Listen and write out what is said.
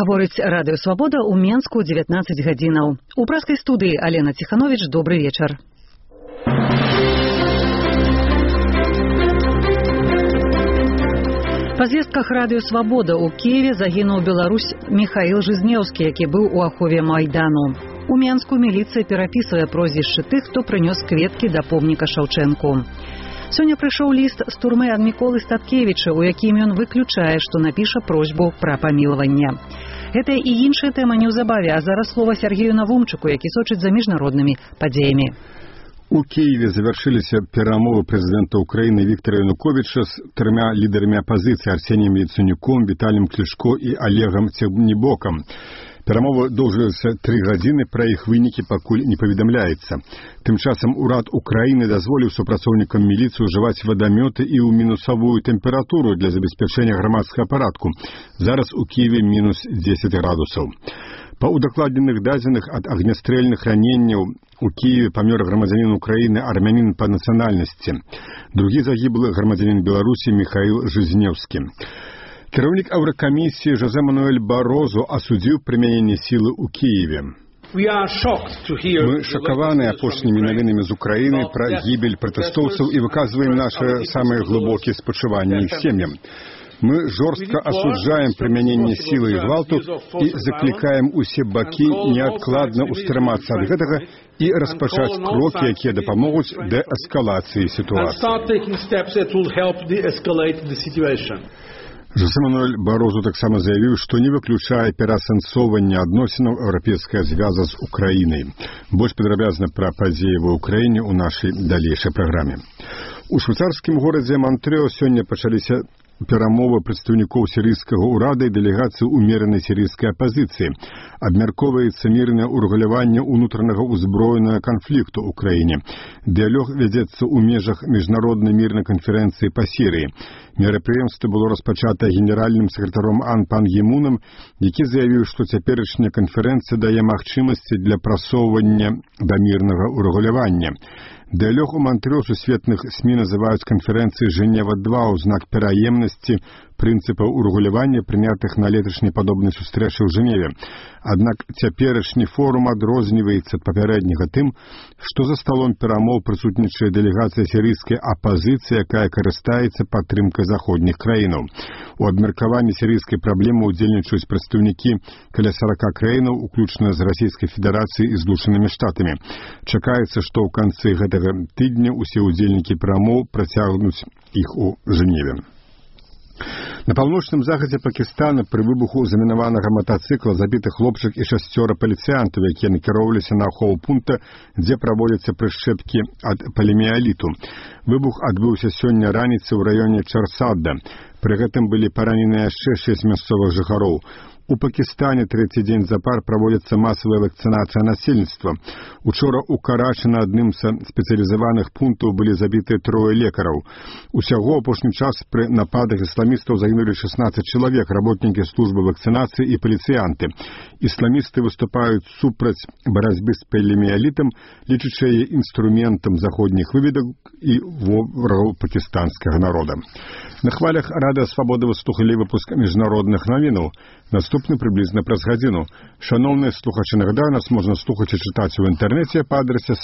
Гаворыць Радыё Свабода ў Менску 19 гадзінаў. У праскай студыі Алена Ціхановіч, добры вечар. Па звестках Радыё Свабода ў Киеве загінуў беларус Міхаіл Жизнеўскі, які быў у ахове Майдану. У Менску міліцыя перапісвае прозвішчы тых, хто прынёс кветкі да помніка Шаўчэнку. Сёння прыйшоў ліст з турмы ад Міколы Статкевіча, у якім ён выключае, што напіша просьбу пра памілаванне. Гэта і іншая тэма неўзабаве, а зараз слова Сергею Навумчыку, які сочыць за міжнароднымі падзеямі. У Киеве завершились перамовы президента Украины Виктора Януковича с тремя лидерами оппозиции Арсением Яценюком, Виталием Кличко и Олегом Тягнебоком. Перамовы доўжыліся 3 гадзіны, пра іх вынікі пакуль не паведамляецца. Тым часам урад Украіны дазволіў супрацоўнікам міліцыі ўжываць вадамёты і ў мінусавую тэмпературу для забеспячэння грамадскага парадку. Зараз у Киеве мінус 10 градусаў. Па ўдакладненых дадзеных ад агнястрэльных раненняў у Киеве памёр грамадзянін Украіны, армянін па нацыянальнасці. Другі загіблы грамадзянін Беларусі Міхаіл Жизнеўскі. Кіраўнік Еўракамісіі Жозе Мануэль Барозу асудзіў прымяненне сілы ў Киеве. Мы шакаваны апошнімі навінамі з Украіны пра гібель пратэстоўцаў і выказваем нашы самыя глыбокія спачуванні іх сем'ям. Мы жорстка асуджаем прымяненне сілы і гвалту і заклікаем усе бакі неадкладна ўстрымацца ад гэтага і распачаць крокі, якія дапамогуць дээскалацыі сітуацыі. Жозе Мануэль Барозу таксама заявіў, што не выключае пераасэнсоўвання адносінаў Еўрапейскага звяза з Украінай. Больш падрабязна пра падзеі ва ўкраіне ў нашай далейшай праграме. У швейцарскім горадзе Монтрео сёння пачаліся перамовы прадстаўнікоў сірыйскага ўрада і дэлегацыі умеранай сірыйскай апазіцыі. Абмяркоўваецца мірнае ўрэгуляванне ўнутранага ўзброенага канфлікту ў краіне. Дыялог вядзецца ў межах міжнароднай мірнай канферэнцыі па Сірыі. Мерапрыемства было распачата генеральным сакратаром АН Пан Гі Мунам, які заявіў, што цяперашняя канферэнцыя дае магчымасці для прасоўвання да мірнага ўрэгулявання. Дыялог у Монтрео сусветных СМІ называюць канферэнцыяй Жэнева-2 ў знак пераемнасці прынцыпаў урэгулявання, прынятых на леташняй падобнай сустрэчы ў Жэневе. Аднак цяперашні форум адрозніваецца ад папярэдняга тым, што за сталом перамоў прысутнічае дэлегацыя сірыйскай апазіцыі, якая карыстаецца падтрымкай заходніх краінаў. У абмеркаванні сірыйскай праблемы ўдзельнічаюць прадстаўнікі каля 40 краінаў, уключна з Расійскай Федэрацыяй і Злучанымі Штатамі. Чакаецца, што ў канцы гэтага тыдня усе ўдзельнікі перамоў працягнуць іх у Жэневе. На паўночным захадзе Пакістана пры выбуху замінаванага матацыкла забіты хлопчык і 6 паліцыянтаў, якія накіроўваліся на ахову пункта, дзе праводзяцца прышчэпкі ад паліміяліту. Выбух адбыўся сёння раніцай у раёне Чарсадда. Пры гэтым былі параненыя яшчэ 6 мясцовых жыхароў. У Пакістане трэці дзень запар праводзіцца масавая вакцынацыя насельніцтва. Учора ў Карачы на адным са спецыялізаваных пунктаў былі забітыя 3 лекараў. Усяго апошні час пры нападах ісламістаў загінулі 16 чалавек, работнікі службы вакцынацыі і паліцыянты. Ісламісты выступаюць супраць барацьбы з паліміялітам, лічачы яе інструментам заходніх выведак і ворагаў пакістанскага народа. На хвалях Радыё Свабода вы слухалі выпуск міжнародных навінаў. Наступны прыблізна праз гадзіну. Шаноўныя слухачы, нагадаю, нас можна слухаць і чытаць у інтэрнэце па адрасе